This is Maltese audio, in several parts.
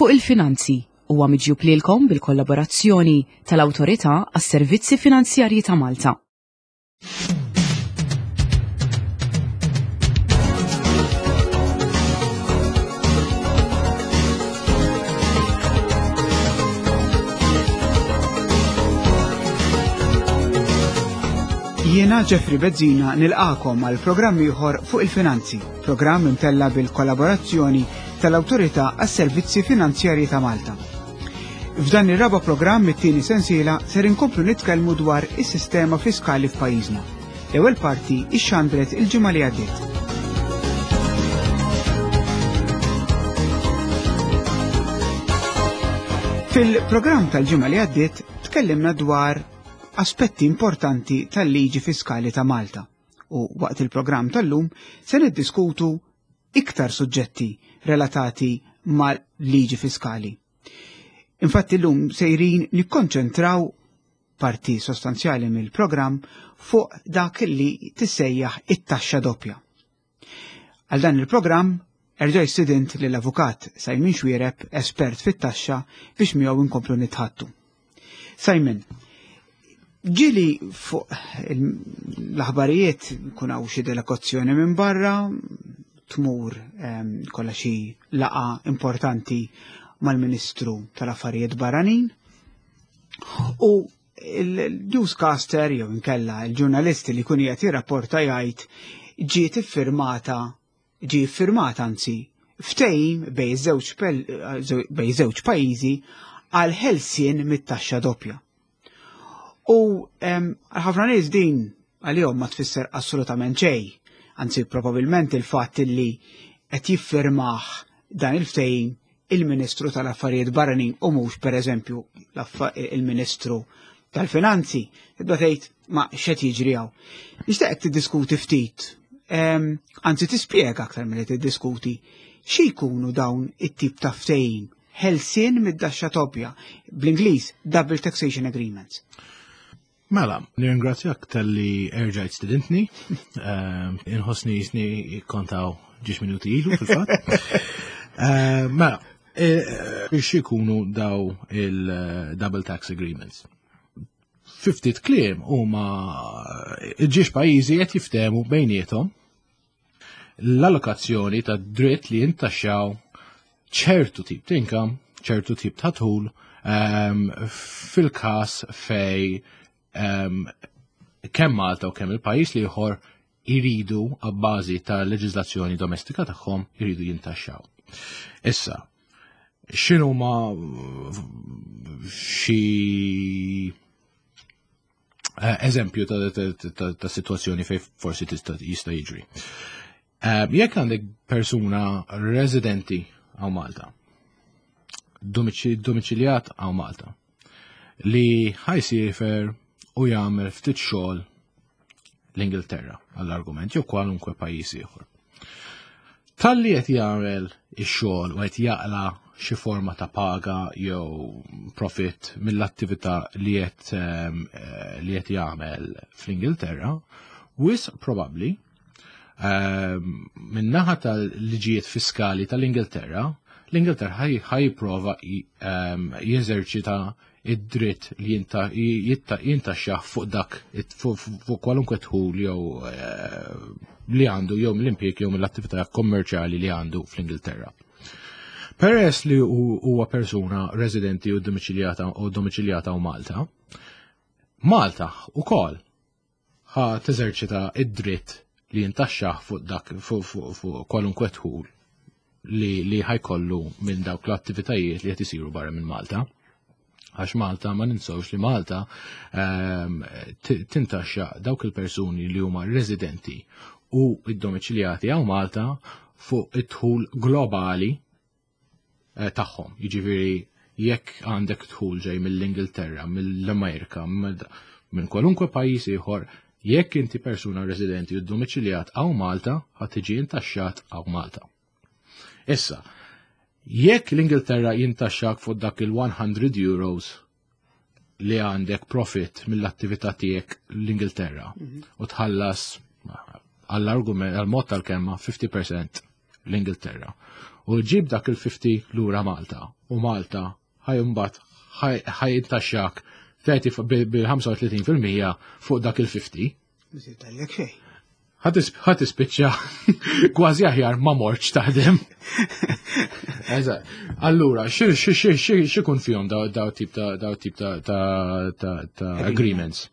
Fuq il-Finanzi huwa miġjub lilkom bil-kollaborazzjoni tal-Awtorità għas-Servizzi Finanzjarji ta' Malta. Jiena Jeffrey Bezzina nilqakom għal programm ieħor fuq il-finanzi, programm imtella bil-kollaborazzjoni tal-Awtorità għas-Servizzi Finanzjarji ta' Malta. F'dan ir-raba' programm it-tieni sensiela ser inkomplu nitkellmu dwar is-sistema fiskali f'pajjiżna. L-ewwel parti ixxandret il-ġimgħa li għaddiet. Fil-programm tal-ġimgħa li għaddiet tkellimna dwar aspetti importanti tal-liġi fiskali ta' Malta u waqt il-programm tal-lum se niddiskutu iktar suġġetti relatati mal-liġi fiskali. Infatti l-lum sejrin nikkonċentraw parti sostanzjali mill-programm fuq dak li tissejjaħ it-taxxa doppja. Għal dan il-programm erġa' student lill-avukat Simon Xwiereb, espert fit-taxxa, biex miegħu nkomplu nitħattu. Simon, ġili fuq l-aħbarijiet kun hawn xi delegazzjoni minn barra, tmur ehm, kollha xi laqa importanti mal-Ministru tal-Affarijiet Barranin u il-newscaster jew inkella il-ġurnalisti li kun qed jirrapporta jgħid ġiet iffirmata ġie ffirmat anzi ftehim bejn żewġ pajjiżi għal ħelsien mit-taxxa doppja. U ħafna nies din għalihom ma tfisser assolutament xejn, anzi probabilment il-fatt li qed jiffirmah dan il-ftehim il-Ministru tal-Affarijiet Barranin u mhux pereżempju il-Ministru tal-Finanzi. Tibda tgħid ma x'qed jiġri hawn. Nixtieq tiddiskuti ftit, ehm, anzi tispjega aktar milli tiddiskuti xi jkunu dawn it-tip ta' ftehim ħelsien mid-daxxa toppja bl-Ingliż Double Taxation Agreements. Mela, nirringrazzjak tal-li erġajt stidintni. Ehm, inħossni jisni kontaw ġiex minuti ilu fil-fatt. Ehm, mela, e, e, xikunu daw il-Double Tax Agreements? Fiftit kliem huma ġiex pajjiżi qed jiftehmu bejniethom l-allokazzjoni ta' dritt li jintaxxaw ċertu tip ta' income, ċertu tip ta' tul um, fil-każ fej um, kemm Malta u kemm il-pajjiż li ieħor iridu għabbażi ta' leġiżlazzjoni domestika tagħhom iridu jintaxxaw. Issa, x'inhu ma xi Eh, eżempju ta' situazzjoni fej forsi tista' jista' jiġri. Eh, jekk għandek persuna residenti għaw Malta, domiċiljat għaw Malta, li ħajsifer u jagħmel ftit xogħol l-Ingilterra għall-argument jew kwalunkwe pajjiż ieħor. Talli qed jagħmel ix-xogħol u qed jaqla xi forma ta' paga jew profit mill-attività li qed ehm, eh, li qed jagħmel fl-Ingilterra, wisq probabbli ehm, min-naħa tal-liġijiet fiskali tal-Ingilterra, l-Ingilterra ħaj ehm, jeżerċita id-dritt li jintaxxah fuq dak fuq kwalunkwe dħul jew eh, li għandu jew mill-impjieg jew mill-attività kommerċjali li għandu fl-Ingilterra. Peress li huwa persuna residenti u domiċiljata u domiċiljata u Malta, Malta ukoll ħa teżerċita id-dritt li jintaxxah fuq dak fuq kwalunkwe dħul li li ħajkollu minn dawk l-attivitajiet li qed isiru barra minn Malta. Għax Malta ma ninsewx li Malta ehm, tintaxxa dawk il-persuni li huma residenti u id-domiċiljati għaw Malta fuq id-dħul globali eh, tagħhom. Jiġifieri jekk għandek dħul ġej mill-Ingilterra, mill-Amerika, minn kwalunkwe pajjiż ieħor, jekk inti persuna residenti u domiċiljat għaw Malta, ħad tiġi intaxxat għaw Malta. Issa, jekk l-Ingilterra jintaxxak fuq dak il-100 euros li għandek profit mill-attività tiegħek l-Ingilterra mhm. u tħallas għall-argument għall-mod tal-kelma 50% l-Ingilterra u ġib dak il-50 lura Malta u Malta ħa mbagħad ħa jintaxxak bil-35% fuq dak il-50. Mhux xejn. Ħa tispiċċa kważi aħjar ma mortx taħdem. Eżatt. Allura, x'ikun fihom daw tip ta' daw tip ta' agreements?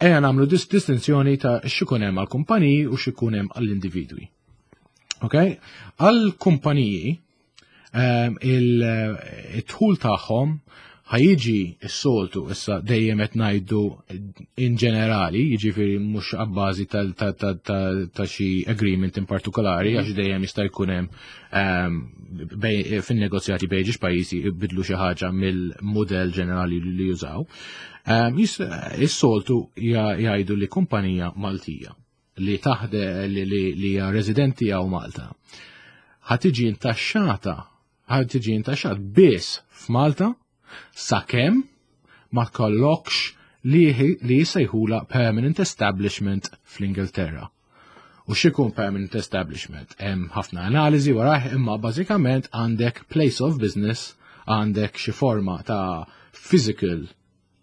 Ejja nagħmlu distinzjoni ta' x'ikun hemm għall-kumpaniji u x'ikun hemm għall-individwi. Ok? Għall-kumpaniji il-dħul tagħhom ħa jiġi s-soltu, issa dejjem qed ngħidu in ġenerali, jiġifieri mhux abbażi ta' xi agreement in partikolari, għax dejjem jista' jkun hemm fin-negozjati bejn żewġ pajjiżi jbidlu xi ħaġa mill-mudell ġenerali li jużaw. Is-soltu jgħidu li kumpanija Maltija li taħde li hija residenti hawn Malta ħa tiġi intaxxat biss f'Malta sakemm ma tkollokx li jisejħula permanent establishment fl-Ingilterra. U x'ikun permanent establishment? Hemm ħafna analiżi warah, imma bażikament għandek place of business, għandek xi forma ta' physical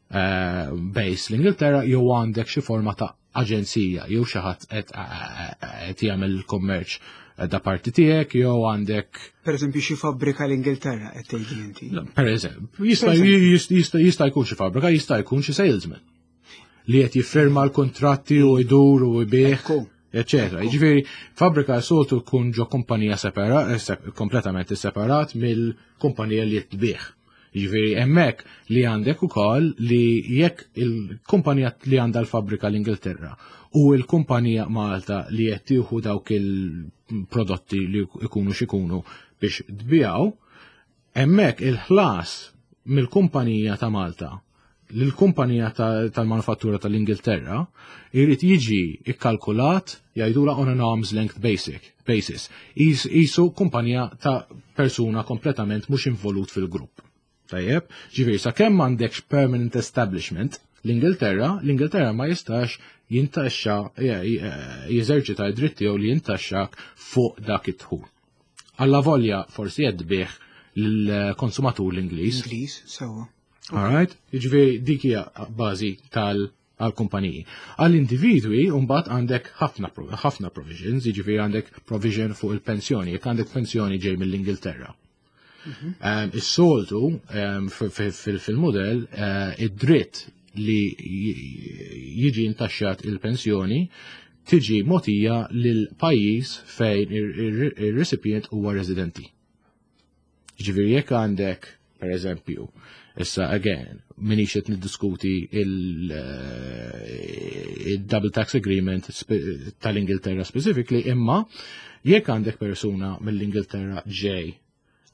base l-Ingilterra jew għandek xi forma ta' aġenzija jew xi ħadd qed jagħmel il-kummerċ da parti tiegħek jew għandek Per eżempju, xi fabbrika l-Ingilterra qed tgħidli inti. Per eżempju, jista' jkun xi fabbrika, jista' jkun xi salesman li qed jiffirma l-kontratti u jdur u jbigħ, eccetera. Jiġifieri, fabbrika soltu tkun ġo kumpanija separa, kompletament separat mill-kumpanija li qed tbigħ. Jiġifieri, hemmhekk li għandek ukoll li jekk il-kumpanija li għandha l-fabbrika l-Ingilterra u l-kumpanija Malta li qed tieħu dawk il-prodotti li ikunu x'ikunu biex tbigħu, hemmhekk il-ħlas mill-kumpanija ta' Malta l-kumpanija tal-manufattura tal-Ingilterra jrid jiġi ikkalkulat, jgħidula, on an arm's length basis. Qisu kumpanija ta' persuna kompletament mhux involut fil-grupp. Tajjeb, ġifieri sakemm m'għandekx permanent establishment l-Ingilterra, l-Ingilterra ma jistax jintaxxa, jeżerċita d-dritt tiegħu li jintaxxak fuq dak id-dħul. Alla volja forsi qed tbigħ lill-konsumatur l-Ingliż. Ingliż, sewwa. Alright? Jiġifieri dik hija bażi tal għal-kumpaniji. Għall-individwi, mbagħad għandek ħafna ħafna provisions, jiġifieri għandek provision fuq il-pensjoni, jekk għandek pensjoni ġej mill-Ingilterra. Is-soltu fil-modell id-dritt li jiġi intaxxat il-pensjoni tiġi mogħtija lil pajjiż fejn ir-recipient huwa residenti. Ġifieri jekk għandek, per eżempju, issa again, minix qed niddiskuti il-double tax agreement tal-Ingilterra specifically, imma jekk għandek persuna mill-Ingilterra ġej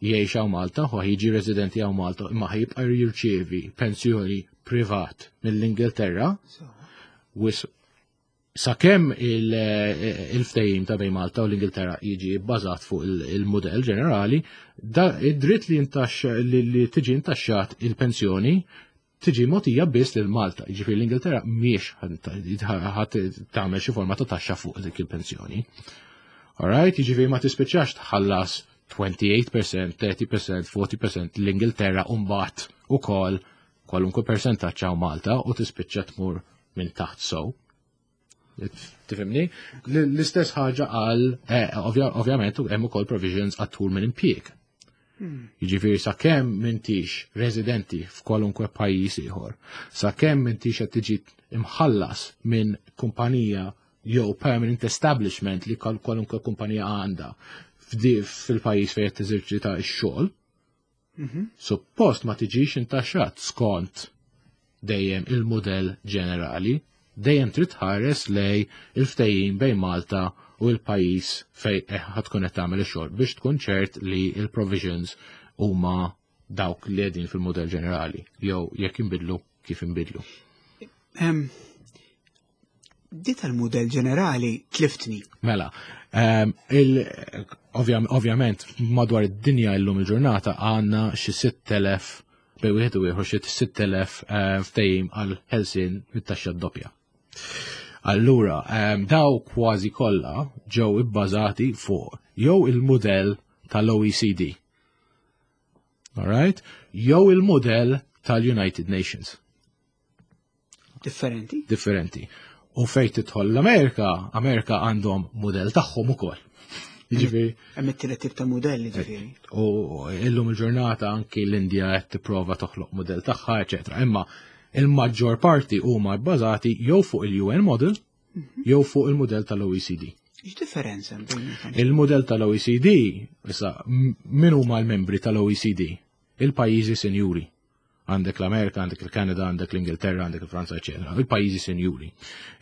jgħix hawn Malta, u jiġi residenti hawn Malta, imma ħa jibqa' jirċievi pensjoni privat mill-Ingilterra, sakemm il-ftehim ta' bejn Malta u l-Ingilterra jiġi bbażat fuq il-modell ġenerali, id-dritt li tiġi intaxxat il-pensjoni tiġi mogħtija biss lil Malta. Jiġifieri l-Ingilterra mhijiex ħa tagħmel xi forma ta' taxxa fuq dik il-pensjoni. Alright, jiġifieri ma tispiċċax tħallas 28%, 30%, 40% l-Ingilterra u mbagħad ukoll kwalunkwe percentaġġ hawn Malta u tispiċċa tmur minn taħt so. Tifhimni? L-istess ħaġa għal, ovvjament, hemm ukoll provisions għat-dħul minn impjieg. Jiġifieri sakemm m'intix residenti f'kwalunkwe pajjiż ieħor, sakemm m'intix qed tiġi imħallas minn kumpanija jew permanent establishment li kwalunkwe kumpanija għandha fil-pajjiż fejn qed teżerċita x-xogħol, suppost ma tiġix intaxxat skont dejjem il-modell ġenerali, dejjem trid tħares lejn il-ftehim bejn Malta u l-pajjiż fejn ħa tkun qed tagħmel ix-xogħol biex tkun ċert li l-provisions huma dawk li qegħdin fil-modell ġenerali jew jekk inbidlu kif inbidlu. Di tal-modell ġenerali tliftni. Mela, ovvjament madwar id-dinja illum il-ġurnata għandna xi 6000, bejn wieħed u ieħor xi 6000 ftehim għal ħelsien mit-taxxa doppja. Allura, daw kważi kollha ġew ibbażati fuq jew il-mudell tal-OECD. Alright? Jew il-mudell tal-United Nations. Differenti? Differenti. U fejn tidħol l-Amerika, Amerika għandhom mudell tagħhom ukoll. Jiġifieri. Hemm it-tielet tip ta' mudelli ġifieri. U illum il-ġurnata anki l-Indja qed tipprova toħloq mudell tagħha, eċetera. Imma il-maġġor parti huma bbażati jew fuq il-UN model jew fuq il-mudell tal-OECD. X'differenza bejn Il-mudell tal-OECD, issa, min huma l-membri tal-OECD? Il-pajjiżi sinjuri. Għandek l-Amerika, għandek il-Kanada, għandek l-Ingilterra, għandek il-Franza, eċetera. Il-pajjiżi sinjuri.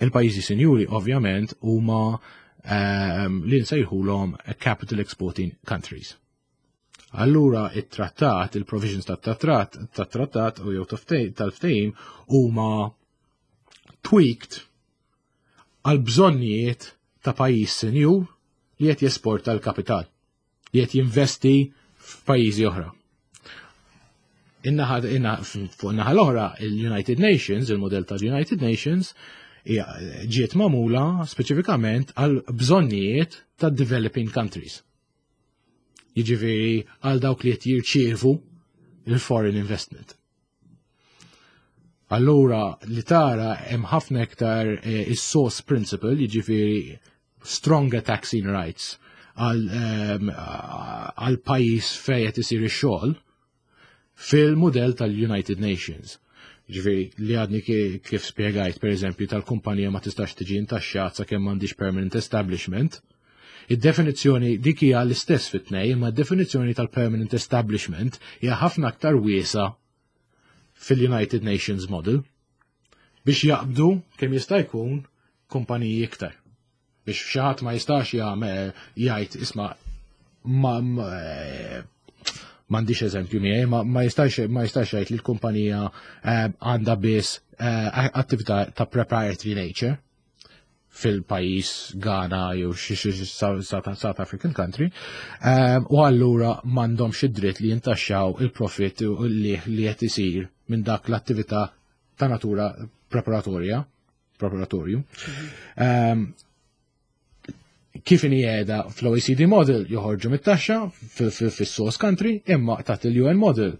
Il-pajjiżi sinjuri ovvjament huma li nsejħulhom capital exporting countries. Allura it-trattat, il-provisions tat-trattat, tat-trattat u jew tal-ftehim huma tweaked għal bżonnijiet ta' pajjiż sinjur li qed jesporta l-kapital, li qed jinvesti f'pajjiżi oħra. Fuq in-naħa l-oħra, il-United Nations, il-modell tal-United Nations, ġiet magħmula speċifikament għal bżonnijiet ta' developing countries. Jiġifieri għal dawk li qed jirċievu il-foreign investment. Allura li tara hemm ħafna iktar is-source principle, jiġifieri stronger taxing rights għal pajjiż fejn qed isir ix-xogħol fil-mudell tal-United Nations. Ġifieri li għadni kif spjegajt, per eżempju, tal-kumpanija ma tistax tiġi intaxxat sakemm m'għandix permanent establishment. Id-definizzjoni dik hija l-istess fit-tnej, imma d-definizzjoni tal-permanent establishment hija ħafna aktar wiesa fil-United Nations model biex jaqbdu kemm jista' jkun kumpaniji iktar. Biex xi ħadd ma jistax jagħmel jgħid isma' ma m'għandix eżempju miegħi, ma jistax jgħid li l-kumpanija għandha biss attività ta' proprietary nature fil-pajjiż Ghana jew xi South African country, u allura m'għandhomx id-dritt li jintaxxaw il-profit li qed isir minn dak l-attività ta' natura preparatorju. Kif inhi qiegħda fl-OECD model joħorġu mit-taxxa fis-source country, imma taħt il-UN model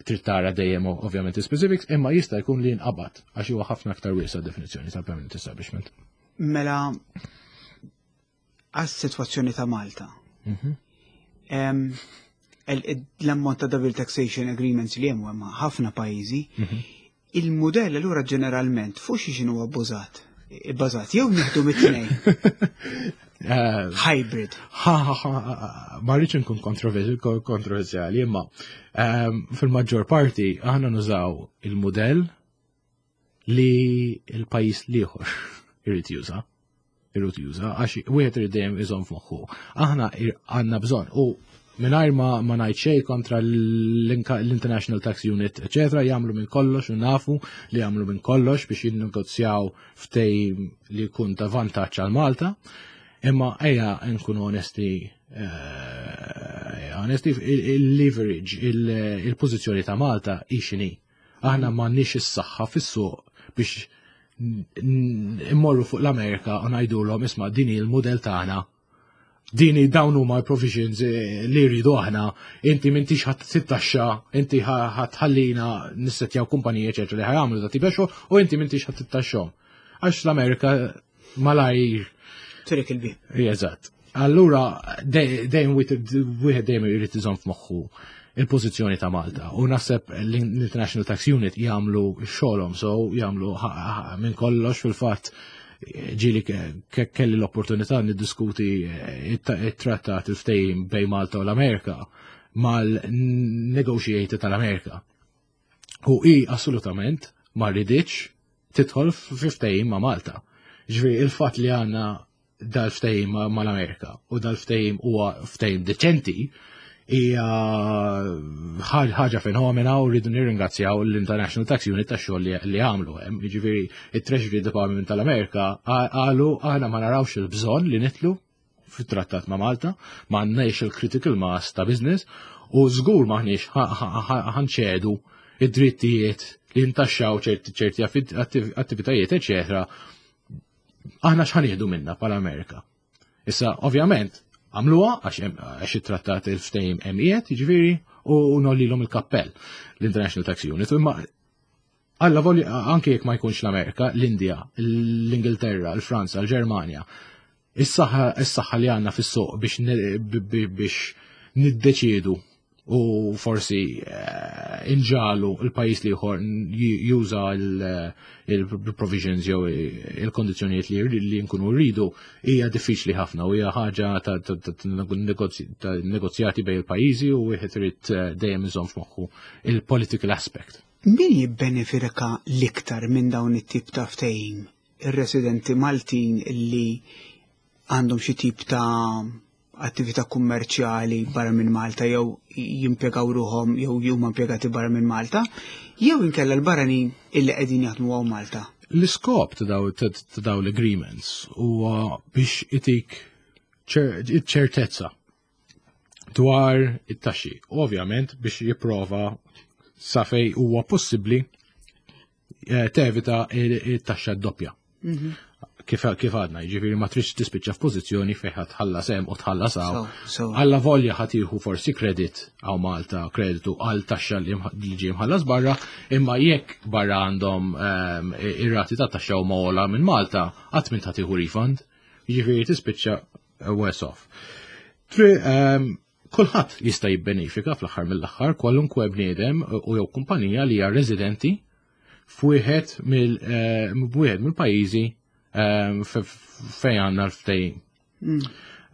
trid tara dejjem ovvjament specifics, imma jista' jkun li jinqabad għax huwa ħafna aktar wiesa definizzjoni tal-permanent establishment. Mela għas-sitwazzjoni ta' Malta. L-ammont ta' double taxation agreements li hemm hemm ħafna pajjiżi, il-mudell allura ġeneralment fuq xi x'inhu abbużat? Ibbażat jew nieħdu mit-tnejn. Hybrid. Ma rridx nkun kontroversjali, imma fil-maġġor parti aħna nużaw il-mudell li l-pajjiż l-ieħor irid juża. Irid juża, għax wieħed irid dejjem iżomm f'moħħu. Aħna għandna bżonn u mingħajr ma ngħid xejn kontra l-International Tax Unit, eċetera, jagħmlu minn kollox u nafu li jagħmlu minn kollox biex jinnegozjaw ftehim li jkun ta' vantaġġ għal Malta. Imma ejja nkunu onesti, il-leverage, il-pożizzjoni ta' Malta hi x'inhi. Aħna m'għandniex is-saħħa fis-suq biex immorru fuq l-Amerika u ngħidulhom isma' din hi l-mudell tagħna. Dini dawn huma l-provisions li rridu aħna, inti m'intix ħadd tittaxxa, inti ħadd ħallina nissetjaw kumpaniji eċetera li ħajamlu da tip xogħol u inti m'intix ħadd tittaxxhom. Għax l-Amerika malajr Turik il-bib. Eżatt. Allura dejjem wieħed dejjem irid iżomm f'moħħu il-pożizzjoni ta' Malta. U naħseb l-International Tax Unit jagħmlu xogħolhom, so jagħmlu minn kollox fil-fatt ġieli kelli l-opportunità niddiskuti it-trattat il-ftehim bejn Malta u l-Amerika mal-negotiator tal-Amerika. U hi assolutament ma riditx tidħol fi ftehim ma' Malta. Ġifieri il-fatt li għandna dal-ftehim mal-Amerika u dal-ftehim huwa ftehim deċenti hija ħaġa fenomena u rridu nirringrazzjaw l-International Tax Unit tax-xogħol li għamlu hemm. Jiġifieri it-Treasury Department tal-Amerika qalu aħna ma narawx il-bżonn li nidħlu fit-trattat ma' Malta, ma għandniex il-critical mass ta' business u żgur m'aħniex ħanċedu id-drittijiet li ntaxxaw ċerti attivitajiet, eċetera. Aħna x'ħa nieħdu minna bħala Amerika? Issa, ovvjament, għamluha għax it-trattat il-ftehim hemm qiegħed, jiġifieri, u nollilhom il-kappell l-International Tax Unit. Imma Alla voli anke jekk ma jkunx l-Amerika, l-Indja, l-Ingilterra, l-Franza, l-Ġermanja, is-saħħa li għandna fis-suq biex niddeċiedu u forsi eh, inġalu il-pajis li ieħor juża il-provisions jew il-kondizzjonijiet li nkunu rridu hija diffiċli ħafna u hija ħaġa ta' negozjati bejn il-pajjiżi u wieħed irid eh, dejjem iżomm f'moħħu il-political aspect. Min jibbenefika l-iktar minn dawn it-tip ta' ftehim? Ir-residenti Maltin li għandhom xi tip ta' attività kummerċjali barra minn Malta jew jimpjegaw ruħhom jew huma impjegati barra minn Malta, jew inkella l-barranin illi qegħdin jaħdmu hawn Malta. L-iskop ta' daw l-agreements huwa biex itik ċertezza dwar it-taxxi. Ovvjament biex jipprova sa fej huwa possibbli eh, tevita it-taxxa doppja. Mhm. Kif kif għadna, jiġifieri ma tridx tispiċċa f'pożizzjoni fejn ħadd tħallas hemm u tħallas hawn. Alla volja ħadd jieħu forsi kredit hawn Malta, kreditu għal taxxa li ġie mħallas barra, imma jekk barra għandhom ehm, ir-rati ta' taxxa huma ogħla minn Malta, qatt minn tieħu refund. Jiġifieri tispiċċa worse off. Ehm, kulħadd jista' jibbenefika fl-aħħar mill-aħħar kwalunkwe bniedem u jew kumpanija li hija residenti f'wieħed mill eh, wieħed mill-pajjiżi ehm, fejn għandna l-ftehim. Mm.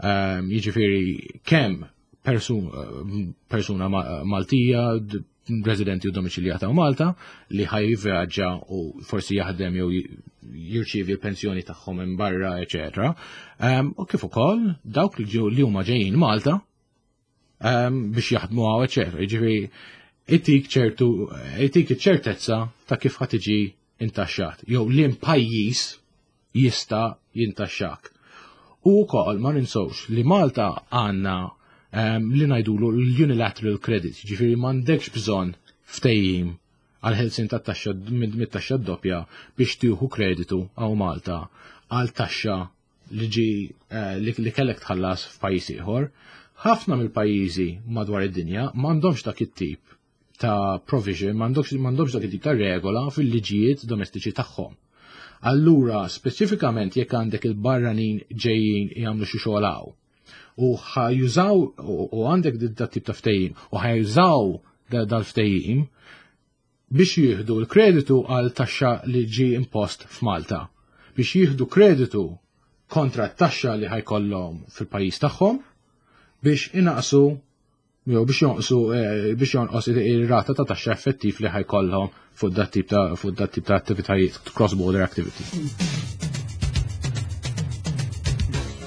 Ehm, jiġifieri kemm persuna Maltija, residenti u domiċiljata u Malta li ħaj jivvjaġġa u forsi jaħdem jew jirċievi l-pensjoni tagħhom minn barra, eċetera. Ehm, u kif ukoll dawk li ġew li huma ġejjin Malta ehm, biex jaħdmu hawn, eċetera. Jiġifieri itik ċertu itik iċ-ċertezza ta' kif ħa tiġi intaxxat jew liem pajjiż jista' jintaxxak. U wkoll ma ninsewx li Malta għandna um, li ngħidulu l-unilateral credit, ġifieri m'għandekx bżonn ftehim għal ħelsien tat-taxxa mit-taxxa doppja biex tieħu kreditu għaw Malta għal taxxa li ġi eh, li kellek tħallas f'pajjiż ieħor. Ħafna mill-pajjiżi madwar id-dinja m'għandhomx dak it-tip ta' provision, m'għandhomx dak it-tip ta' regola fil-liġijiet domestiċi tagħhom. Allura, speċifikament jekk għandek il-barranin ġejjin jagħmlu xi xogħol hawn u ħajużaw u għandek dat tip ta' ftehim u ħajużaw dal-ftehim biex jieħdu l-kreditu għal taxxa li ġi impost f'Malta. Biex jieħdu kreditu kontra t-taxxa li ħajkollhom fil-pajjiż tagħhom biex inaqsu jew biex jonqsu eh, biex jonqos ir-rata ta' taxxa effettiv li ħajkollhom fuq dat tip ta' fuq dat tip ta' attivitajiet cross border activity.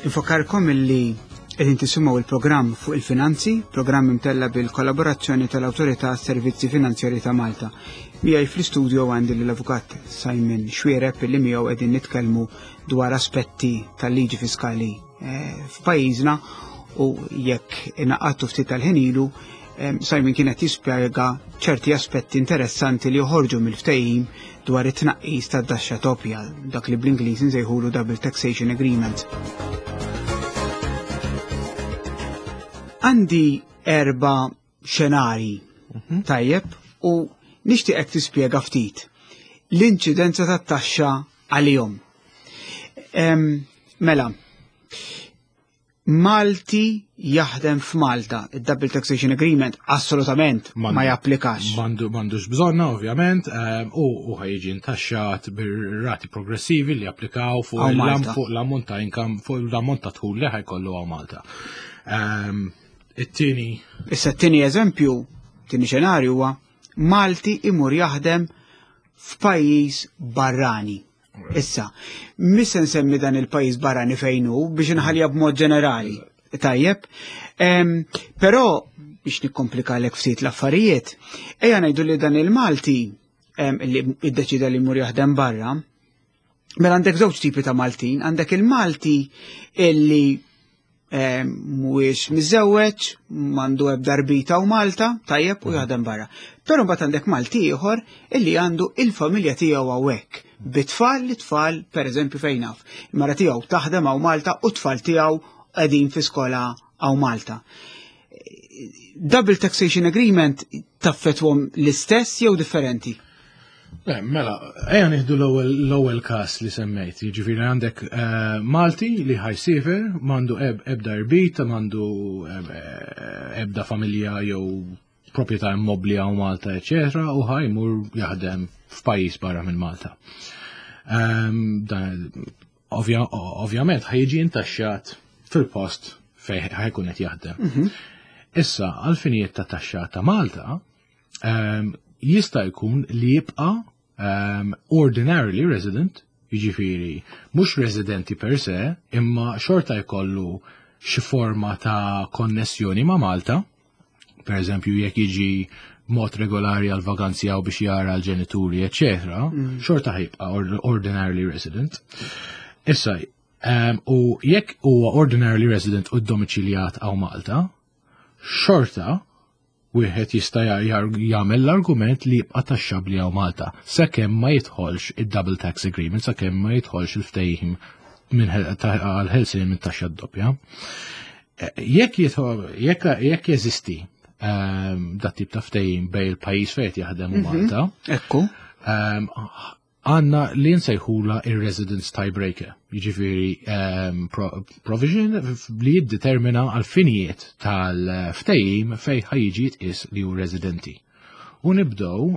Infakarkom illi qegħdin tisimgħu il-programm fuq il-finanzi, programm imtella bil-kollaborazzjoni tal-Awtorità Servizzi Finanzjari ta' Malta. Miegħi fl-istudio għandi l-Avukat Simon Xuereb illi miegħu qegħdin nitkellmu dwar aspetti tal-liġi fiskali eh, f'pajjiżna u jekk inaqattu ftit tal-ħin ilu, Simon kien qed jispjega ċerti aspetti interessanti li joħorġu mill-ftehim dwar it-tnaqqis tad-daxxa doppja, dak li bl-Ingliż insejħulu Double Taxation Agreement. Għandi erba' xenari mhm. tajjeb u nixtieqek tispjega ftit l-inċidenza tat-taxxa għalihom. Mela, Malti jaħdem f'Malta, id-Double Taxation Agreement assolutament ma japplikax. M'għandux bżonna, ovvjament, u ħajġi intaxxat bir-rati progressivi li japplikaw fuq l-ammont ta' income, fuq l-ammont ta' dħul li ħajkollu hawn Malta. It-tieni. Issa t-tieni eżempju, tieni xenarju huwa Malti imur jaħdem f'pajjiż barrani. Issa, mis se nsemmi dan il-pajjiż barrani fejn hu biex inħallija b'mod ġenerali. Tajjeb. Però biex nikkomplikalek ftit l-affarijiet, ejja ngħidu li dan il-Malti li iddeċida li jmur jaħdem barra, mela għandek żewġ tipi ta' Maltin, għandek il-Malti illi mhuwiex miżewweġ, m'għandu ebda rbita u Malta, tajjeb u jaħdem barra. Però mbagħad għandek Malti ieħor illi għandu il-familja tiegħu hawnhekk. Bit-tfal li tfal, per eżempju fejn naf, il-mara tiegħu taħdem hawn Malta u t-tfal tiegħu qegħdin fi skola hawn Malta. Double Taxation Agreement taffetwhom l-istess jew differenti? Le, mela, ejja nieħdu l-ewwel każ li semmejt, jiġifieri għandek eh, Malti li ħajsifer, m'għandu ebda irbit, m'għandu eh, ebda familja jew proprjetà immobbli hawn Malta, eċetera, u ħajmur jaħdem f'pajjiż barra minn Malta. Ehm, ovvjament ħajġi intaxxat fil-post fejn ħajkun qed jaħdem. Mhm. Issa, għal-finijiet ta' taxxa ta' Malta, ehm, jista' jkun li jibqa' ehm, ordinarily resident, jiġifieri mhux residenti per se, imma xorta jkollu xi forma ta' konnessjoni ma' Malta, per eżempju jekk jiġi mod regolari għal vaganzi għaw biex jara l-ġenituri, eccetera, xorta ħajbqa ordinarily resident. Issa, um, u jekk huwa ordinarily resident u domiċiljat għaw Malta, xorta wieħed jista' jagħmel l-argument li jibqa' taxxabbli hawn Malta, sakemm ma jidħolx id-double tax agreement, sakemm ma jidħolx il-ftehim minn għal-ħelsien minn taxxa doppja. Eh, jekk jekk jekk jeżisti ehm, dat tip ta' ftehim bejn il-pajjiż fejn jaħdem u mhm. Malta. Ekku. Ehm, għanna li nsejħula il-residence tiebreaker, jiġifieri ehm, provision li jiddetermina għal-finijiet tal-ftehim fej ħajġi jitqis li hu residenti. U nibdew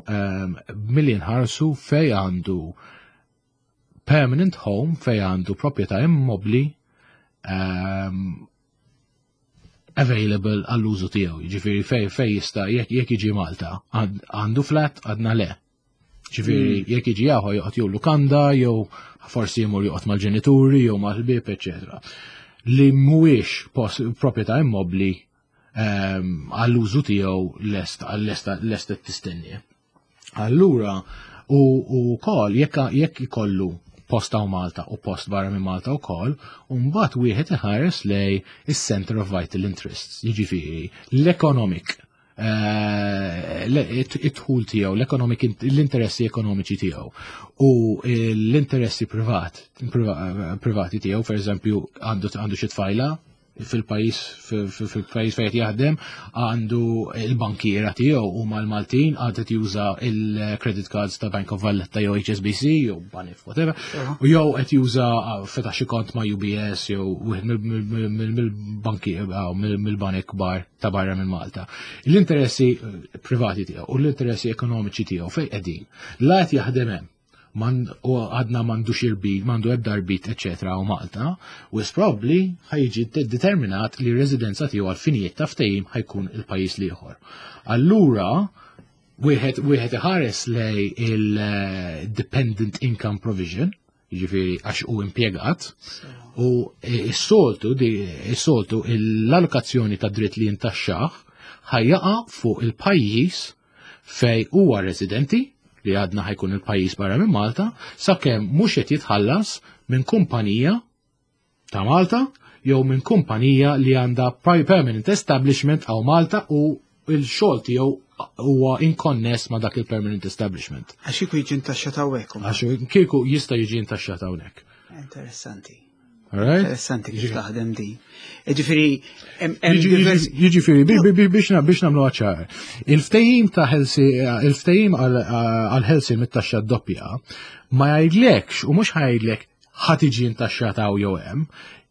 milli nħarsu fej għandu permanent home fej għandu proprjetà immobli um, available għall-użu tiegħu. Jiġifieri fej fej jista' jekk jekk jiġi Malta għandu flat għadna le. Ġifieri mm. jekk jiġi jaħu joqgħod jew lukanda jew forsi jmur joqgħod mal-ġenituri jew mal-ħbieb, eċetera. Li mhuwiex proprjetà immobbli ehm, għall-użu tiegħu lest lest lest tistenni. Allura, u wkoll jekk jekk ikollu post hawn Malta u post barra minn Malta wkoll, u mbagħad wieħed iħares lej is-Center of Vital Interests, jiġifieri l-economic eh, it-dħul tiegħu, l-economic l-interessi ekonomiċi tiegħu u l-interessi privat privati tiegħu, per eżempju, għandu xi tfajla fil-pajjiż fil-pajjiż fejn jaħdem għandu il-bankiera tiegħu huma l-Maltin għad qed juża il-credit cards ta' Bank of Valletta jew HSBC jew Banif whatever u jew qed juża fetaħ xi kont ma' UBS jew wieħed mill-banki mill-banek kbar ta' barra minn Malta. L-interessi privati tiegħu u l-interessi ekonomiċi tiegħu fejn qegħdin. La qed jaħdem hemm man, u għadna mandu xirbit, mandu ebda rbit, eccetera, u Malta, u probably ħajġi determinat li residenza tiegħu għal finijiet ta' ftehim ħajkun il-pajjiż l-ieħor. Allura, wieħed wieħed iħares lej il-dependent income provision, jiġifieri għax hu impjegat, u s-soltu s-soltu l-allokazzjoni ta' dritt li jintaxxaħ ħajjaqa fuq il-pajjiż fej huwa residenti li għadna ħajkun il-pajjiż barra minn Malta, sakemm mhux qed jitħallas minn kumpanija ta' Malta jew minn kumpanija li għandha permanent establishment għaw Malta u il-xogħol tiegħu huwa inkonness ma' dak il-permanent establishment. Għax kieku jiġi intaxxat hawnhekk. Għax kieku jista' jiġi intaxxat hawnhekk. Interessanti. Interessanti kif taħdem din. Ġifieri Jiġifieri biex biex nagħmlu ċar. Il-ftehim ta' ħelsi il-ftehim għal ħelsi mit-taxxa doppja ma jgħidlekx u mhux ħajdlek ħa tiġi intaxxata hawn jew hemm,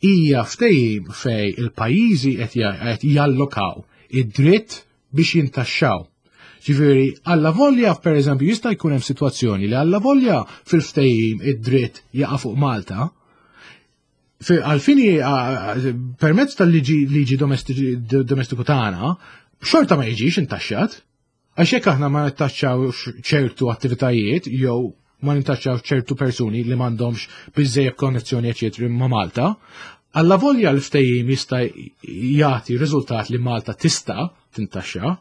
hija ftehim fej il-pajjiżi qed jallokaw id-dritt biex jintaxxaw. Ġifieri, alla volja, per eżempju, jista' jkun hemm sitwazzjoni li alla volja fil-ftehim id-dritt jaqa' fuq Malta, għalfini permezz tal-liġi liġi domestiku tagħna, xorta ma jiġix intaxxat. Għax jekk aħna ma nittaxxaw ċertu attivitajiet jew ma nintaxxaw ċertu persuni li m'għandhomx biżejjed konnezzjoni eċetri ma' Malta, alla volja l-ftehim jista' jagħti riżultat li Malta tista' tintaxxa,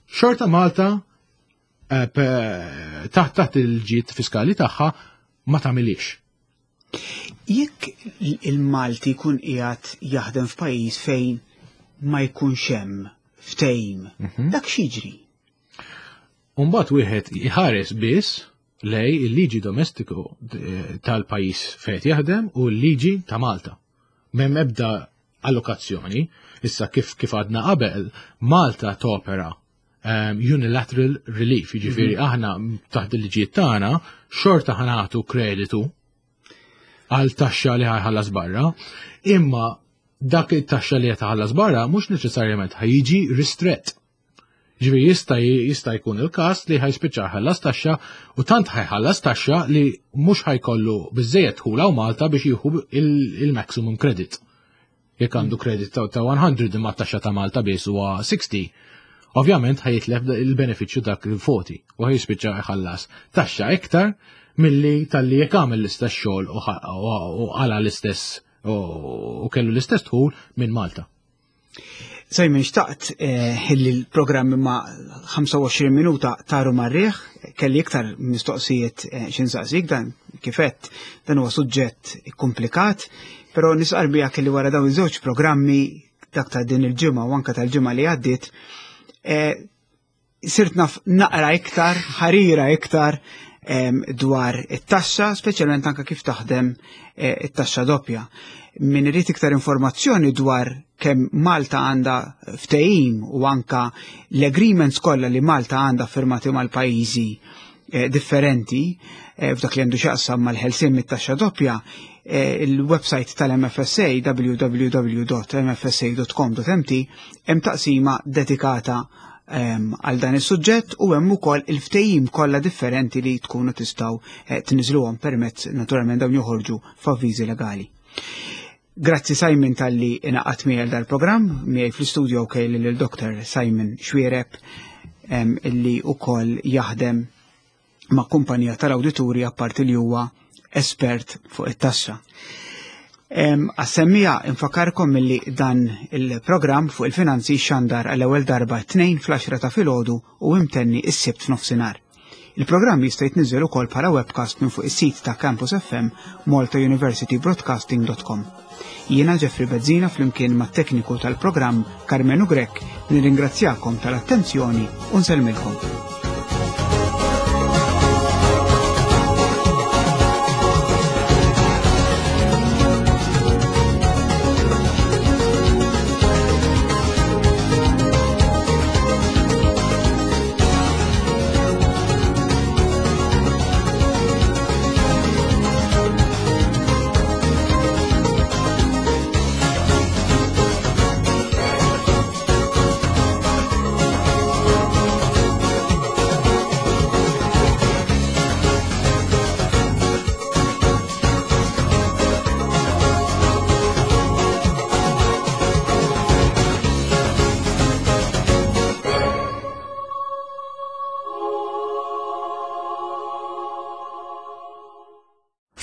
xorta Malta eh, taħt taħt il-ġid fiskali tagħha ma tagħmilix. Jekk il-Malti jkun qiegħed jaħdem f'pajjiż fejn ma jkunx hemm ftehim, mhm. dak x'jiġri? Umbagħad wieħed iħares biss. lej il-liġi domestiku eh, tal-pajjiż fejn jaħdem u l-liġi ta' Malta. M'hemm ebda allokazzjoni. Issa kif kif għadna qabel, Malta topera um, unilateral relief, jiġifieri mm -hmm. aħna taħt il-liġijiet tagħna xorta ħanatu kreditu għal taxxa li ħajħallas barra, imma dak it-taxxa li qed barra mhux neċessarjament ħajjiġi ristrett. Ġifieri jista' jista' jkun il-każ li ħajspiċċa ħallas taxxa u tant ħajħallas taxxa li mhux ħajkollu biżejjed dħul hawn Malta biex jieħu il-maximum credit. Jekk għandu credit ta' 100 imma taxxa ta' Malta biss huwa 60, ovvjament ħajitlef il-benefiċċju dak il-40 u ħajspiċċa jħallas taxxa iktar milli talli jekk għamel l-istess xogħol u għala l-istess u kellu l-istess dħul minn Malta. Simon, xtaqt eh, illi l-programm ma 25 minuta taru marriħ, kelli iktar mistoqsijiet eh, xinsaqsik dan kifett, dan huwa suġġett komplikat, però nisqar bija kelli wara dawn iż-żewġ programmi dak ta' din il-ġimgħa u anka tal-ġimgħa li għaddiet, eh, sirt naf naqra iktar, ħarira iktar dwar it-taxxa, speċjalment anka kif taħdem eh, it-taxxa doppja. Min irid iktar informazzjoni dwar kemm Malta għandha ftehim u anka l-agreements kollha li Malta għandha firmati mal-pajjiżi eh, differenti eh, f'dak li għandu x'jaqsam mal-ħelsien mit-taxxa doppja, il-website tal-MFSA www.mfsa.com.mt hemm taqsima dedikata ehm, għal dan is-suġġett u hemm ukoll il-ftehim kollha differenti li tkunu tistgħu eh, tniżluhom permezz naturalment dawn joħorġu f'avviżi legali. Grazzi Simon talli inaqat miegħi dal-programm, miegħi fl-istudio kelli lil Dr. Simon Xwiereb ehm, illi ukoll jaħdem ma' kumpanija tal-awdituri apparti li huwa espert fuq it-taxxa. Għas-semmija infakarkom milli dan il-programm fuq il-finanzi xandar għall-ewwel darba t-tnejn fl-10 ta' filgħodu u imtenni s-sibt f'nofsinhar. Il-programm jista' jitniżżel ukoll bħala webcast minn fuq is-sit ta' Campus FM maltauniversitybroadcasting.com. Jiena Jeffrey Bezzina flimkien mat-tekniku tal-programm Karmenu Grech nirringrazzjakom tal-attenzjoni u nsellmilkom.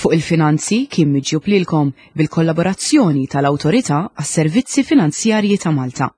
Fuq il-finanzi kien miġjub lilkom bil-kollaborazzjoni tal-Awtorità għas-Servizzi Finanzjarji ta' Malta.